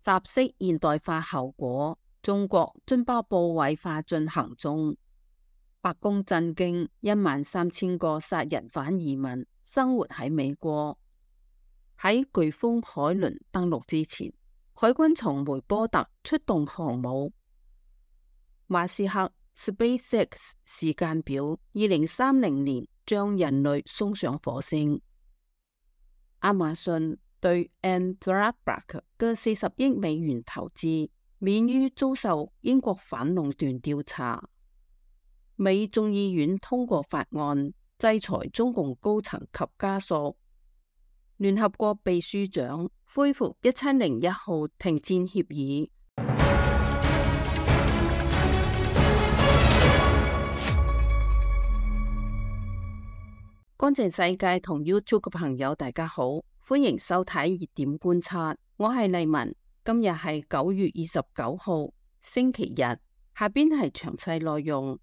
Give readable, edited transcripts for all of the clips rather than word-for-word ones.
集式現代化後果，中國津巴布韋化進行中。白宮震驚，13000個殺人犯移民生活喺美國。喺颶風海倫登陸之前，海軍從梅波特出動航母。馬斯克 SpaceX 時間表，2030年將人類送上火星。亞馬遜對 Anthropic 嘅40億美元投資，免於遭受英國反壟斷調查。美眾議院通過法案，制裁中共高層及家屬。聯合國秘書長恢復1701號停戰協議。乾淨世界同 YouTube 嘅朋友大家好，歡迎收睇熱點觀察，我係麗文。今日係9月29號星期日，下邊係詳細內容。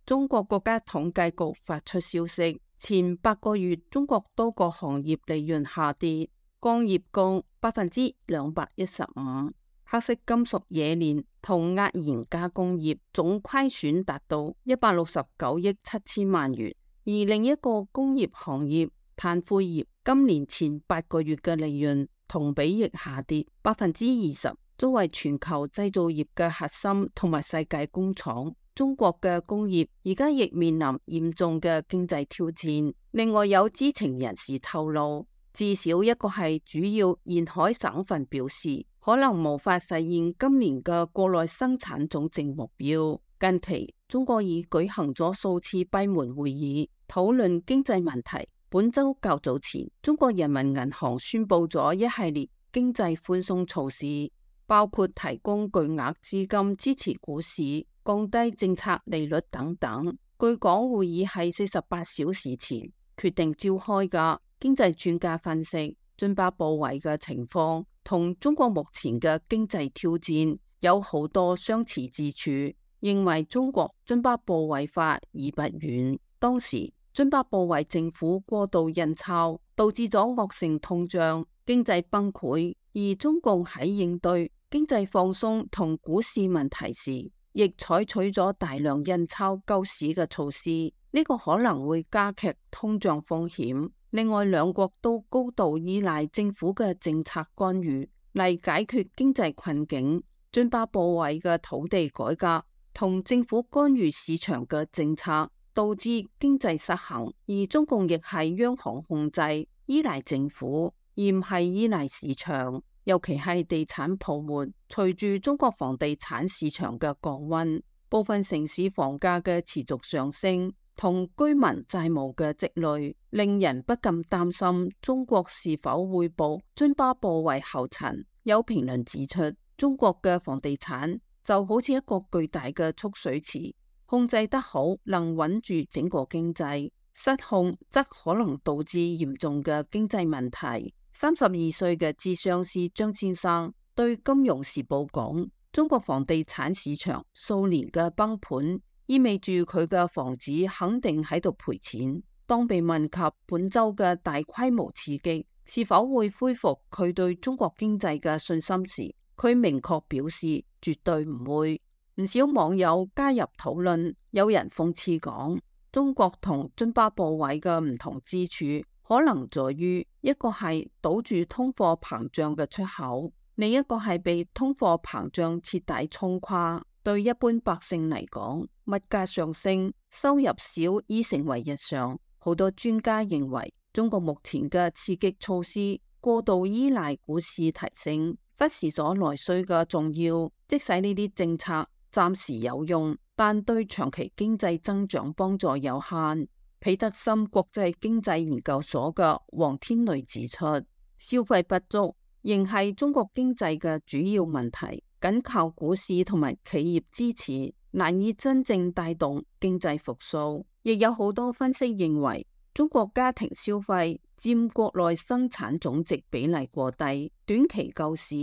中國國家統計局發出消息，前8個月中國多個行業利潤下跌，鋼業降215%，黑色金屬冶煉同壓延加工業總虧損達到169億7千萬元，而另一個工業行業碳灰業今年前8個月嘅利潤同比亦下跌20%。作為全球製造業嘅核心同埋世界工廠，中國嘅工業而家亦面臨嚴重嘅經濟挑戰。另外有知情人士透露，至少一個係主要沿海省份表示，可能無法實現今年嘅國內生產總值目標。近期中國已舉行咗數次閉門會議，討論經濟問題。本周較早前，中國人民銀行宣布咗一系列經濟寬鬆措施，包括提供巨額資金支持股市、降低政策利率等等。據講，會議係48小時前決定召開嘅。經濟專家分析，津巴布韋嘅情況同中國目前嘅經濟挑戰有好多相似之處，認為中國津巴布韋化已不遠。當時津巴布韋政府過度印鈔，導致咗惡性通脹、經濟崩潰，而中共喺應對經濟放鬆同股市問題時，亦採取咗大量印鈔救市嘅措施，呢個可能會加劇通脹風險。另外，兩國都高度依賴政府嘅政策干預嚟解決經濟困境。津巴布韋嘅土地改革同政府干預市場嘅政策，導致經濟失衡，而中共亦係央行控制，依賴政府，而唔係依賴市場。尤其係地產泡沫，隨住中國房地產市場嘅降溫，部分城市房價嘅持續上升，同居民債務嘅積累，令人不禁擔心中國是否會步津巴布韋後塵。有評論指出，中國嘅房地產就好似一個巨大嘅蓄水池，控制得好能穩住整個經濟，失控則可能導致嚴重嘅經濟問題。32歲嘅諮商師張先生對《金融時報》講，中國房地產市場數年嘅崩盤，意味住佢嘅房子肯定喺度賠錢。當被問及本周嘅大規模刺激是否會恢復佢對中國經濟嘅信心時，佢明確表示絕對唔會。唔少網友加入討論，有人諷刺講，中國同津巴布韋嘅唔同之處可能在於，一個係堵住通貨膨脹嘅出口，另一個係被通貨膨脹徹底衝垮。對一般百姓嚟講，物價上升，收入少已成為日常。好多專家認為，中國目前嘅刺激措施過度依賴股市提升，忽視咗內需嘅重要。即使呢啲政策暫時有用，但對長期經濟增長幫助有限。彼得森國際經濟研究所嘅黃天雷指出，消費不足仍係中國經濟嘅主要問題，僅靠股市同埋企業支持難以真正帶動經濟復甦。亦有好多分析認為，中國家庭消費佔國內生產總值比例過低，短期救市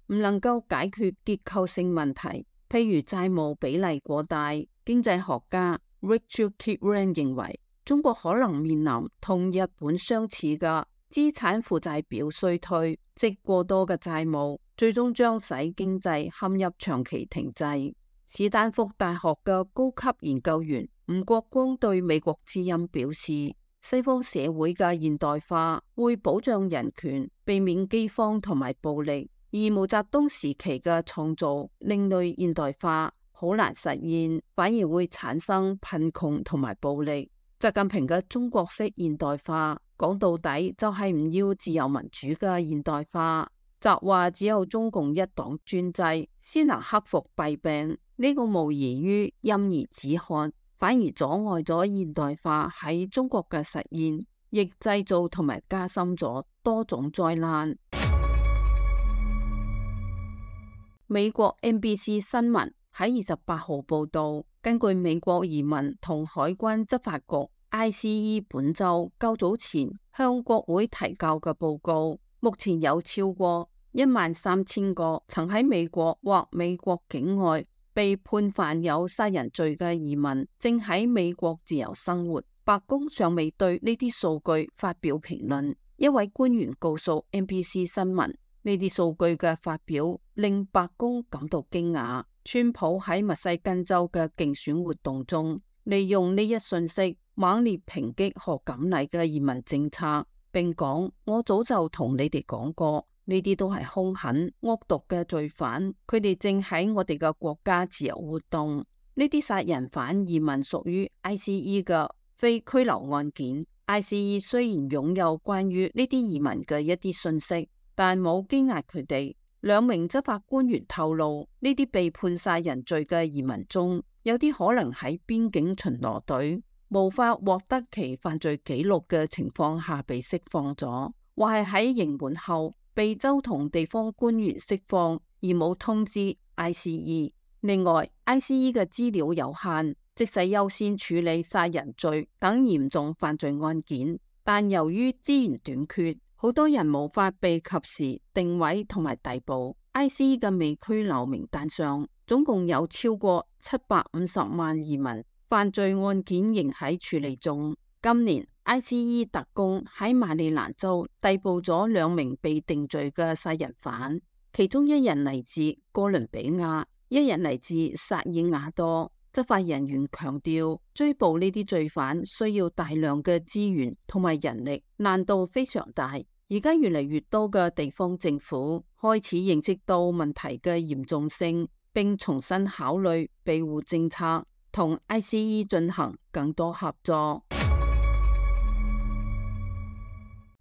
唔能夠解決結構性問題，譬如債務比例過大。經濟學家 Richard Kipren 認為，中國可能面臨同日本相似嘅資產負債表衰退，即過多嘅債務，最終將使經濟陷入長期停滯。史丹福大學嘅高級研究員吳國光對美國之音表示，西方社會嘅現代化會保障人權，避免饑荒同埋暴力，而毛澤東時期嘅創造另類現代化好難實現，反而會產生貧窮同埋暴力。習近平嘅中國式現代化講到底就係唔要自由民主嘅現代化，習話只有中共一黨專制先能克服弊病，呢個無異於陰而止渴，反而阻礙咗現代化喺中國嘅實現，亦製造同埋加深咗多種災難。美國 NBC 新聞喺28號報道，根據美國移民同海關執法局 ICE 本周較早前向國會提交嘅報告，目前有超過13000個曾喺美國或美國境外被判犯有殺人罪嘅移民正喺美國自由生活。白宮尚未對呢啲數據發表評論。一位官員告訴 NBC 新聞，呢啲數據嘅發表令白宮感到驚訝。川普喺密西根州嘅競選活動中，利用呢一訊息猛烈抨擊賀錦麗嘅移民政策，並講：我早就同你哋講過，呢啲都係兇狠惡毒嘅罪犯，佢哋正喺我哋嘅國家自由活動。呢啲殺人犯移民屬於 ICE 嘅非拘留案件。ICE 雖然擁有關於呢啲移民嘅一啲信息，但冇羈押佢哋。2名執法官員透露，呢啲被判殺人罪嘅移民中，有啲可能喺邊境巡邏隊無法獲得其犯罪記錄嘅情況下被釋放咗，或係喺刑滿後被州同地方官員釋放而冇通知 ICE。另外 ，ICE 嘅資料有限，即使優先處理殺人罪等嚴重犯罪案件，但由於資源短缺，好多人無法被及時定位同埋逮捕。ICE 嘅未拘留名單上，總共有超過750萬移民犯罪案件仍喺處理中。今年 ICE 特工喺馬里蘭州逮捕咗2名被定罪嘅殺人犯，其中一人嚟自哥倫比亞，一人嚟自薩爾瓦多。執法人員強調，追捕呢啲罪犯需要大量嘅資源同埋人力，難度非常大。而家越嚟越多嘅地方政府開始認識到問題嘅嚴重性，並重新考慮庇護政策，同 ICE 進行更多合作。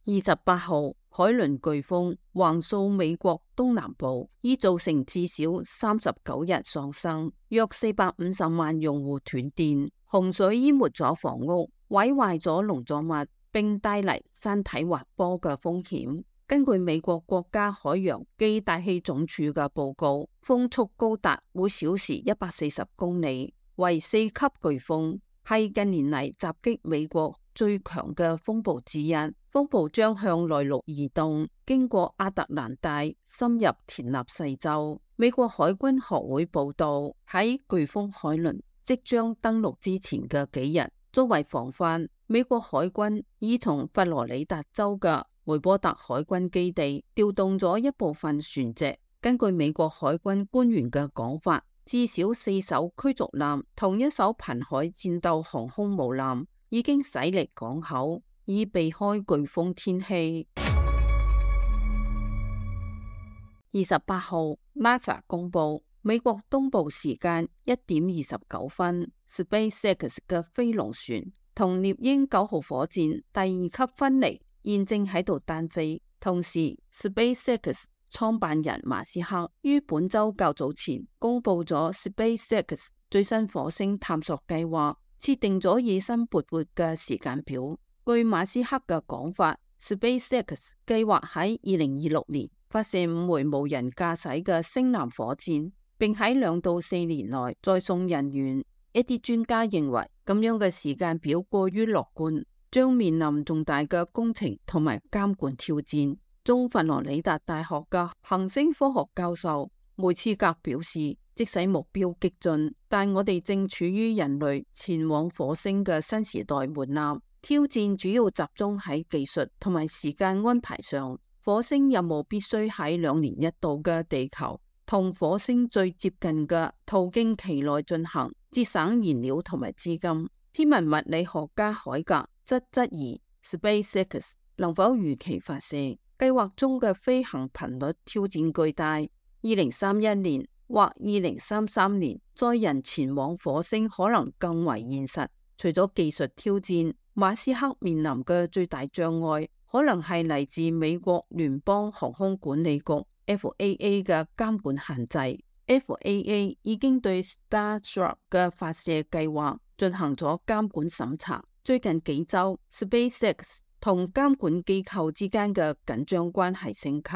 28號，海倫颶風橫掃美國東南部，已造成至少39人喪生，約450萬用戶斷電。洪水淹沒咗房屋，毀壞咗農作物，並帶嚟山體滑坡嘅風險。根據美國國家海洋暨大氣總署嘅報告，風速高達每小時140公里，為4級颶風，係近年嚟襲擊美國最強嘅風暴之一。風暴將向內陸移動，經過亞特蘭大，深入田納西州。美國海軍學會報道，喺颶風海倫即將登陸之前嘅幾日，作為防範，美國海軍已從佛羅里達州嘅梅波特海軍基地調動咗一部分船隻。根據美國海軍官員嘅講法，至少4艘驅逐艦同1艘瀕海戰鬥航空母艦已經駛離港口，以避開颶風天氣。28號，NASA 公布美國東部時間1點29分，SpaceX 嘅飛龍船同獵鷹9號火箭第2級分離，現正喺度單飛。同時 ，SpaceX 創辦人馬斯克於本周較早前公布咗 SpaceX 最新火星探索計劃，設定咗野心勃勃嘅時間表。據馬斯克嘅講法， SpaceX 計劃喺2026年發射5枚無人駕駛嘅星艦火箭，並喺2到4年內再送人員。一啲專家認為咁樣嘅時間表過於樂觀，將面臨重大嘅工程同埋監管挑戰。中佛羅里達大學嘅行星科學教授梅茨格表示，即使目標激進，但我哋正處於人類前往火星嘅新時代門檻。挑戰主要集中喺技術同埋時間安排上。火星任務必須喺2年一度嘅地球同火星最接近嘅途徑期內進行，節省燃料同埋資金。天文物理學家海格則質疑 SpaceX 能否如期發射，計劃中嘅飛行頻率挑戰巨大。2031年或2033年載人前往火星可能更為現實。除咗技術挑戰，馬斯克面臨嘅最大障礙可能係嚟自美國聯邦航空管理局 FAA 嘅監管限制。FAA 已經對 Starship 嘅發射計劃進行咗監管審查。最近幾週 SpaceX 同監管機構之間嘅緊張關係升級。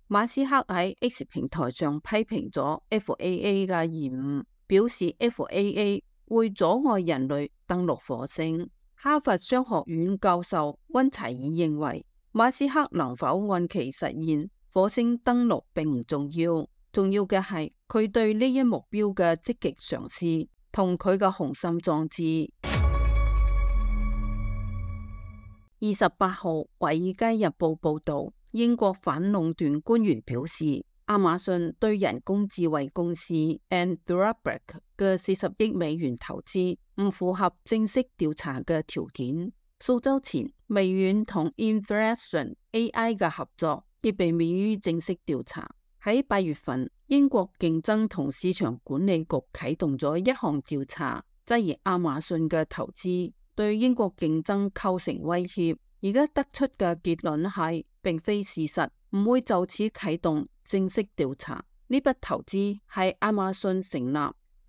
馬斯克喺 X 平台上批評咗 FAA 嘅延誤，表示 FAA 會阻礙人類登陸火星。哈佛商學院教授溫齊爾認為，馬斯克能否按期實現火星登陸並唔重要，重要嘅係佢對呢一目標嘅積極嘗試同佢嘅雄心壯志。28號《華爾街日報》報道，英國反壟斷官員表示，亞馬遜對人工智慧公司 Anthropic 嘅40億美元投資唔符合正式調查嘅條件。數週前，微軟同 Inflection AI 嘅合作亦被免於正式調查。喺8月份，英國競爭同市場管理局啟動咗一項調查，質疑亞馬遜嘅投資對英國競爭構成威脅。而家得出嘅結論係，並非事實，唔會就此啟動正式調查。呢筆投資係亞馬遜成立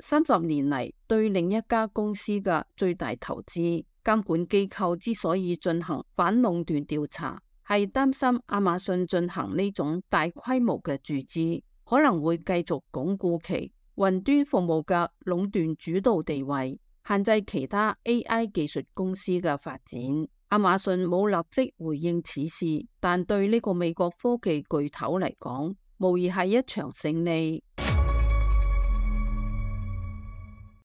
30年嚟對另一家公司嘅最大投資。監管機構之所以進行反壟斷調查，係擔心亞馬遜進行呢種大規模嘅注資，可能會繼續鞏固其雲端服務嘅壟斷主導地位，限制其他 AI 技術公司嘅發展。亞馬遜冇立即回應此事，但對呢個美國科技巨頭嚟講，無疑係一場勝利。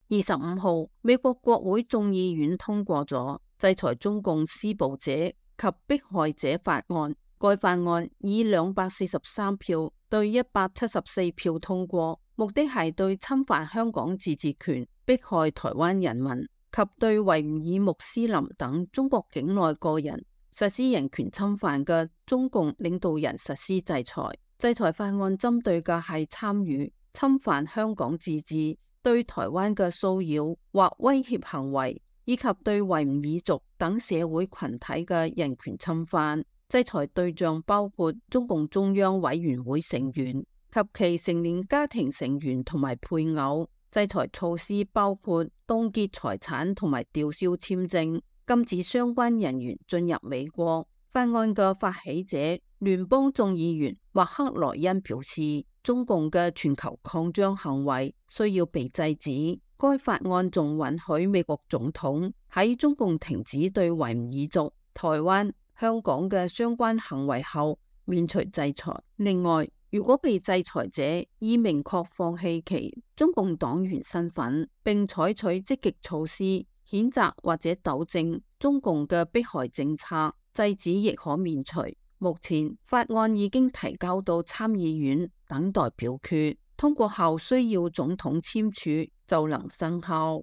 25號，美國國會眾議院通過咗制裁中共施暴者及迫害者法案。該法案以243票對174票通過，目的係對侵犯香港自治權、迫害台灣人民及對維吾爾穆斯林等中國境內個人實施人權侵犯嘅中共領導人實施制裁。制裁法案針對嘅係參與侵犯香港自治、對台灣嘅騷擾或威脅行為，以及對維吾爾族等社會群體嘅人權侵犯。制裁對象包括中共中央委員會成員及其成年家庭成員同埋配偶。制裁措施包括凍結財產同埋吊銷簽證，禁止相關人員進入美國。法案嘅發起者聯邦眾議員麥克萊恩表示，中共嘅全球擴張行為需要被制止。該法案仲允許美國總統喺中共停止對維吾爾族、台灣、香港嘅相關行為後免除制裁。另外，如果被制裁者已明確放棄其中共黨員身份，並採取積極措施譴責或者糾正中共嘅迫害政策，制止亦可免除。目前法案已經提交到參議院等待表決，通過後需要總統簽署就能生效。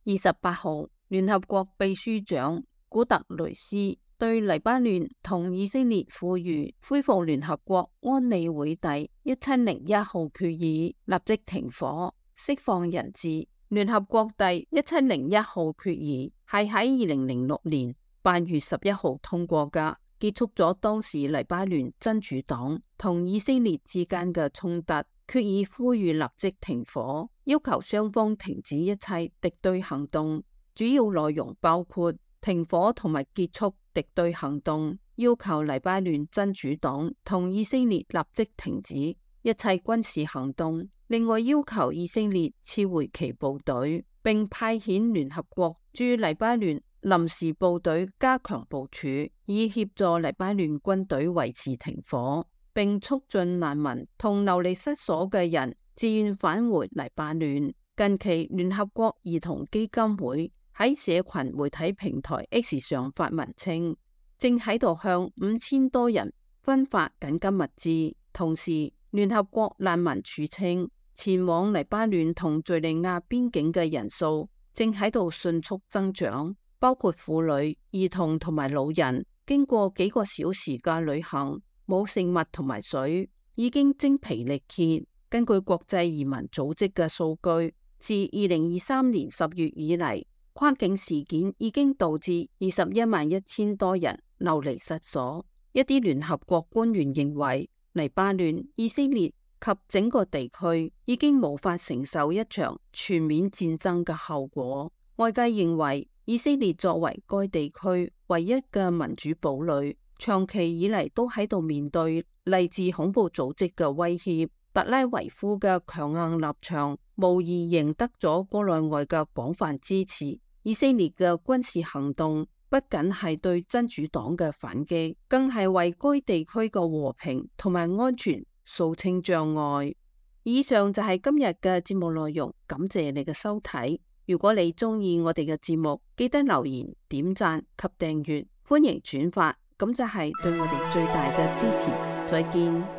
28號，聯合國秘書長古特雷斯對黎巴嫩同以色列呼籲恢復聯合國安理會第1701號決議，立即停火、釋放人質。聯合國第1701號決議係喺2006年8月11號通過嘅，結束咗當時黎巴嫩真主黨同以色列之間嘅衝突。決議呼籲立即停火，要求雙方停止一切敵對行動。主要內容包括停火同埋結束敵對行動，要求黎巴嫩真主黨同以色列立即停止一切軍事行動。另外要求以色列撤回其部隊，並派遣聯合國駐黎巴嫩臨時部隊加強部署，以協助黎巴嫩軍隊維持停火，並促進難民同流離失所嘅人自願返回黎巴嫩。近期聯合國兒童基金會喺社群媒體平台 X 上發文稱，正喺度向5000多人分發緊急物資。同時，聯合國難民署稱，前往黎巴嫩同敘利亞邊境嘅人數正喺度迅速增長，包括婦女、兒童同埋老人。經過幾個小時嘅旅行，冇食物同埋水，已經精疲力竭。根據國際移民組織嘅數據，自2023年10月以嚟，跨境事件已經導致211000多人流離失所。一啲聯合國官員認為，黎巴嫩、以色列及整個地區已經無法承受一場全面戰爭嘅後果。外界認為，以色列作為該地區唯一嘅民主堡壘，長期以嚟都喺度面對嚟自恐怖組織嘅威脅。特拉維夫嘅強硬立場無疑贏得咗國內外嘅廣泛支持。以色列嘅軍事行動不僅係對真主黨嘅反擊，更係為該地區嘅和平同埋安全掃清障礙。以上就係今日嘅節目內容，感謝你嘅收睇。如果你鍾意我哋嘅節目，記得留言、點讚及訂閱，歡迎轉發，咁就係對我哋最大嘅支持。再見。